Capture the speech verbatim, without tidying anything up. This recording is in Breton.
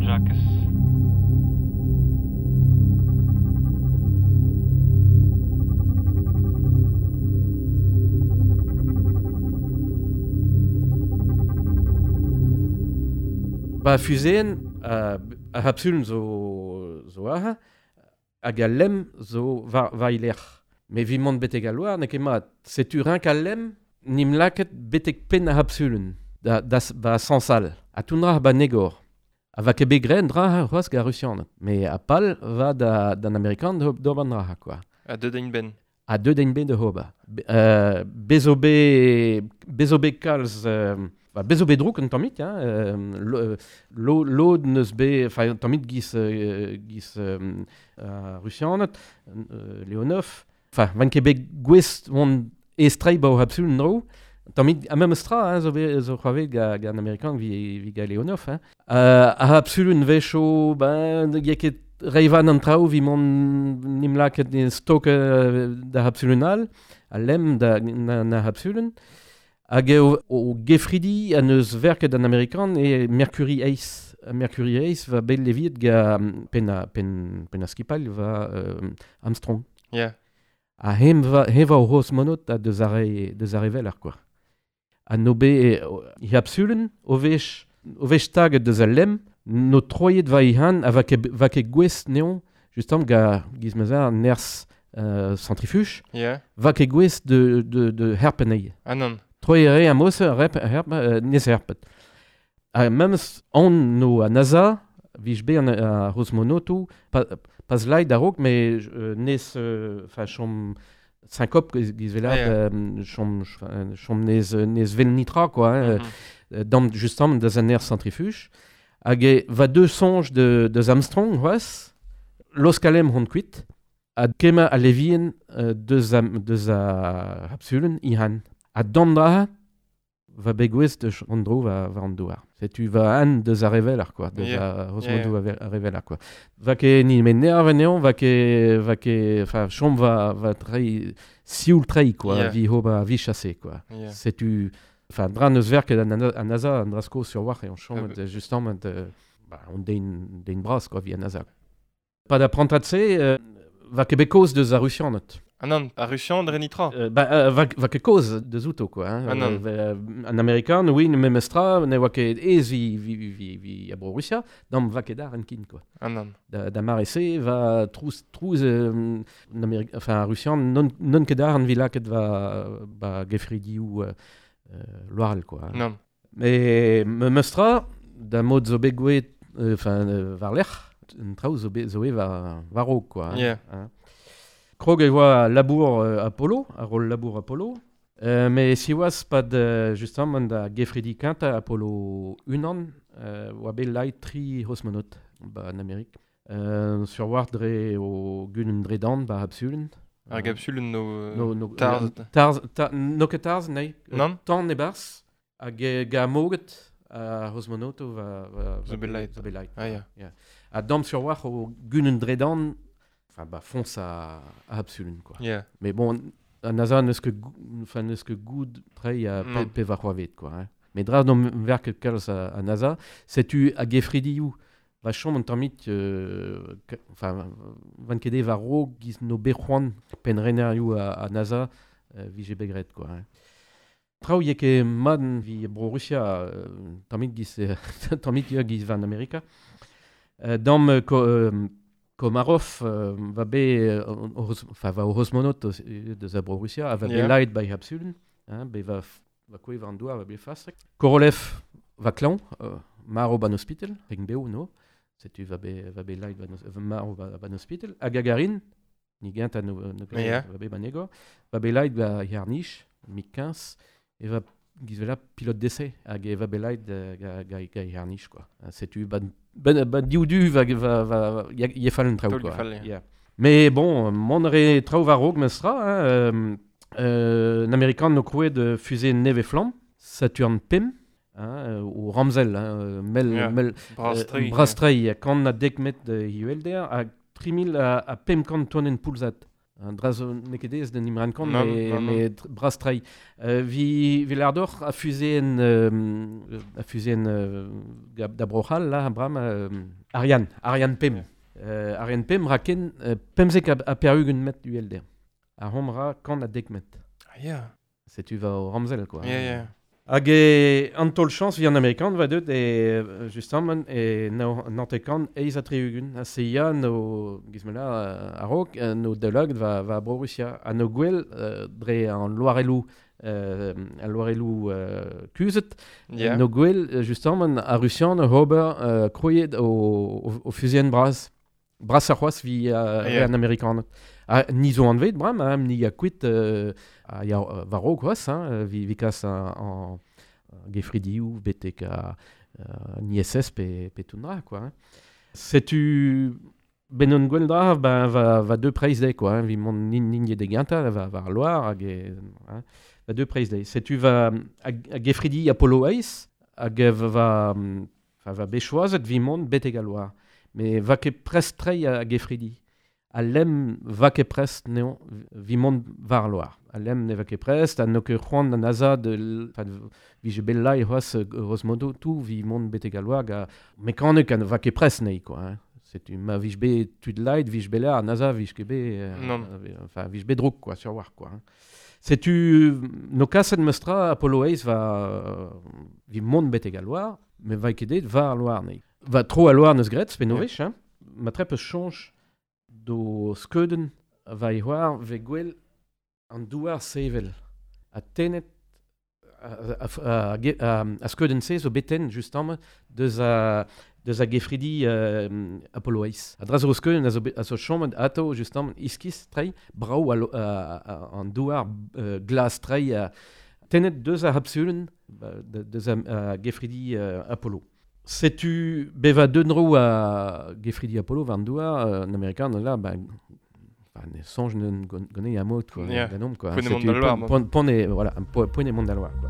Jakez. Ba fuzeen uh, ar c'hapsulenn zo, zo aze, hag al lemm zo war, war ilec'h. Me vi mont betek al loar, n'eo ket mat. Setu rinq al lemm, nim laket betek penn ar c'hapsulenn, da, da, ba sansal. Ha tout dra ba negor. Ha va ket bet graet dra c'hoazh gant ar Rusianed. Me a pal va da, d'an Amerikan d'ober an dra, quoi. Ha deut ein ben. Ha deut ein ben da ober. Be, euh, bezo be, bezo be kalz... Euh, Ba, bezo bet drouk un tammig, hein, euh, lo, lo, lod neus bet, enfin, un tammig giz, euh, giz euh, euh, Rusianed, euh, Leonov, enfin, van ket bet gwest vont estrei ba o c'hapsulenn dro, un tammig, a memes tra, hein, zo, bet, zo c'hoarvet ga, ga an Amerikan vi, vi ga Leonov, hein. Euh, ar c'hapsulenn vecho, ben, ya ket reivan an traoù vi mont nim laket stok euh, da c'hapsulenn all, a lemm da na, na c'hapsulenn. Hag eo o gefridi an eus verket an Amerikan e Mercury Ace. Mercury Ace va bet leviet ga penn a, penn, penn a skipal va euh, Armstrong. Yeah. Ha hem va, hem va o c'hosmonaut a deus ar re, deus ar re veler, quoi. Ha no be e c'hapsulenn o vech, o vech taget deus al lemm, no troiet va ihan ha va ket, va ket gwest neon, justement ga giz ma'z nerzh euh, centrifuge, yeah. Va ket gwest de, de, de herpenei. Ah non. Troiet re am eus rep, herp, euh, nez herpet. Ha memes on no a NASA, vij bet an a c'hosmonotoù, pa, pas laid a-raok, me euh, nez, enfin, euh, chom syncop giz vela, Ah, yeah. euh, chom, chom nez, nez vel nitra, quoi, hein, mm-hmm. euh, dam, justement, deus an aer centrifuge. Hag e va deux soñj de, deus Armstrong, c'hoazh, loskalem hon kuit, ha kemmañ a levien euh, deus a, deus a c'hapsulenn ihan. Ha dam dra va begouez deus an dro va, va an douar. Setu va an deus ar reveler, quoi, deus Yeah. a c'hosmodoù Yeah. a reveler, quoi. Va ket ni me nerv anezhañ, va ket, va ket, enfin, chom va, va trei, sioul trei, quoi, Yeah. vi hoba vi chassé, quoi. Yeah. Setu, enfin, dra neus verket an, an NASA, an drasko sur war, e on chom, Ah, ah, justement, euh, bah, on den, den bras, quoi, vi an NASA. Pa da prantad se, euh, va ket bet kaoz deus ar Rusianed. Ah non, ar Rusian dre nitra. Euh, ba, euh, va, va ket kaoz deus outo, quoi. Hein. Ah non. Euh, an Amerikan, oui, memes tra, ne oa ket ez vi, vi, vi, vi a bro Russia, dam va ket ar en kin, quoi. Ah non. Da, da mare se, va trouz, trouz, euh, an Amerik, enfin, ar Rusian, non, non ket ar en vi laket va, ba gefridioù euh, euh, loarl, quoi. Hein. Non. Mais memes tra, da mod zo bet gouet, euh, enfin, euh, war lec'h, un traoù zo bet zo e war, war raok, quoi. Hein. Yeah. Hein. Krog e oa labour euh, Apollo, ar rol labour Apollo. Euh, mais siwazh pad euh, justement da gefridi kentañ Apollo unan, euh, oa bet lait tri c'hosmonaut ba en Amérique. Euh, sur war dre o gudenn dre dan ba c'hapsulenn. Ar gapsulenn no, No, no, tarz. euh, tarz, ta, no ket tarz, nei. Non? Tan e-barzh, hag e ga moget ar c'hosmonautoù va, va, va Zo bet lait. Zo bet lait. Ah, yeah. Yeah. Ha dam sur war o gudenn dre dan, enfin, bah, fonce à, à c'hapsulenn, quoi. Yeah. Mais bon, an NASA n'eus ket, enfin, n'eus ket goud trei a pe, Non. pe war c'hoarvet, quoi. Hein. Mais dra n'om verket kalz a, a NASA, setu a gefridioù va chom an tammig, euh, enfin, van ket war raok giz no bet c'hoant penn-renerioù a, a NASA euh, vije bet graet, quoi. Hein. Traoù eo ket mat vi bro Russia, euh, tammig giz, tammig ya giz van Amerika. Euh, dam euh, ko, euh, Komarov euh, va bet, euh, enfin, va o c'hosmonaut deus a bro Russia, a va bet Yeah. laet ba c'hapsulenn, hein, bet va, va kouezh war an douar, va bet fastrek. Korolev va klañv, euh, marv ban ospital, reg bev, no. Setu va bet, va bet laet ban, marv ba, ban ospital. Ha Gagarin, ni gent a no, no Yeah. va bet ban egor, va bet laet ba yarnich, mig quinze, e va giz vela pilote d'essai, hag e va bet laet ga, ga, ga yarnich, quoi. Setu ban, ben, ben div du va, va, va, ya, ya fall un traoù, Taol quoi. fall, ya. Yeah. Mais bon, mont re traoù war raok meus tra, hein, euh, euh, an Amerikan no krouet de fusée neve flamm, Saturn Pim, hein, o Ramsel, hein, mel, Yeah. mel, Bras-trei. euh, bras-trei, kant a dek met de I U L D R, hag tri mil a, a pemp kant tonenn poulzad. Un dra zo n'eo ket aes d'en imran kont, me, me bras trai. Euh, vi, vi lardoc'h a fuseen, euh, a fuseen euh, da Brochal, là, bram, euh, Ariane, Ariane Pem. Euh, Ariane Pem raken euh, pemzek a, a perugen met uhelder. A hom ra kant a dek met. Ah, yeah. Setu va o ramzel, quoi. Yeah, yeah. Hag e an taol chañs vi an Amerikan va deut e justement e nantekan eiz a tri-ugent. A se ya no gizmela a-raok no daoulagad va va Bro-Rusia. Ha no gwell euh, dre an loarelloù euh, an loarelloù euh, kuzhet yeah. No gwell justement a Rusian ober euh, kroiet o, o, o fuseen bras. Bras ar c'hoazh vi uh, yeah. an Amerikaned. Ha ni zo anvet bram, hein, ni a kuit euh, a ya war-raok c'hoazh, hein, vi, vi kas an, an gefridioù betek a uh, ni I S S pe, pe tout dra, quoi. Hein. Setu ben on gwell dra, ben va, va deux preiz dezhe, quoi, hein, vi mont nin, nin de genta, va, va ar loar, hag e, hein, va deux preiz dezhe. Setu va a, a gefridi Apollo eiz, hag va, va, va bet vi mont betek a loar. Mais va ket prest trei a gefridi. A lem va ket prest neo vi mont war loar. A lem ne va ket prest, a no ket c'hoant an NASA de enfin, vi je bel lai c'hoazh grosso modo tout vi mont betek a loar ga mekanek an va ket prest nei, quoi. Hein. Setu ma vij bet tud lait, vij bet la, NASA vij ket bet euh, enfin vij bet drouk, quoi, sur war, quoi. Hein. Setu no kaset meustra Apollo eiz va vi mont betek a loar, mais va ket det war loar nei. Va tro a loar neus gret, pe novech, hein. Ma trep eus choñj do skeuden va e c'hoar ve gwell an douar sevel. A tenet a, a, a, a, a skeuden se zo beten justement deus a deus a gefridi euh, Apollo eiz. A dra zo skeuden a zo, a zo chommet ato justement iskis trei brao a, a, a, an douar euh, glas trei a, tenet deus a hapsulen deus a, a gefridi euh, Apollo. Setu beva deunro a gefridi Apollo war an douar, euh, an Amerikan là, ben, enfin, ne sonj ne gone a mod, quoi, yeah. ganomp, quoi. Setu pon, pon, pon e, voilà, pon e mont da loar, quoi.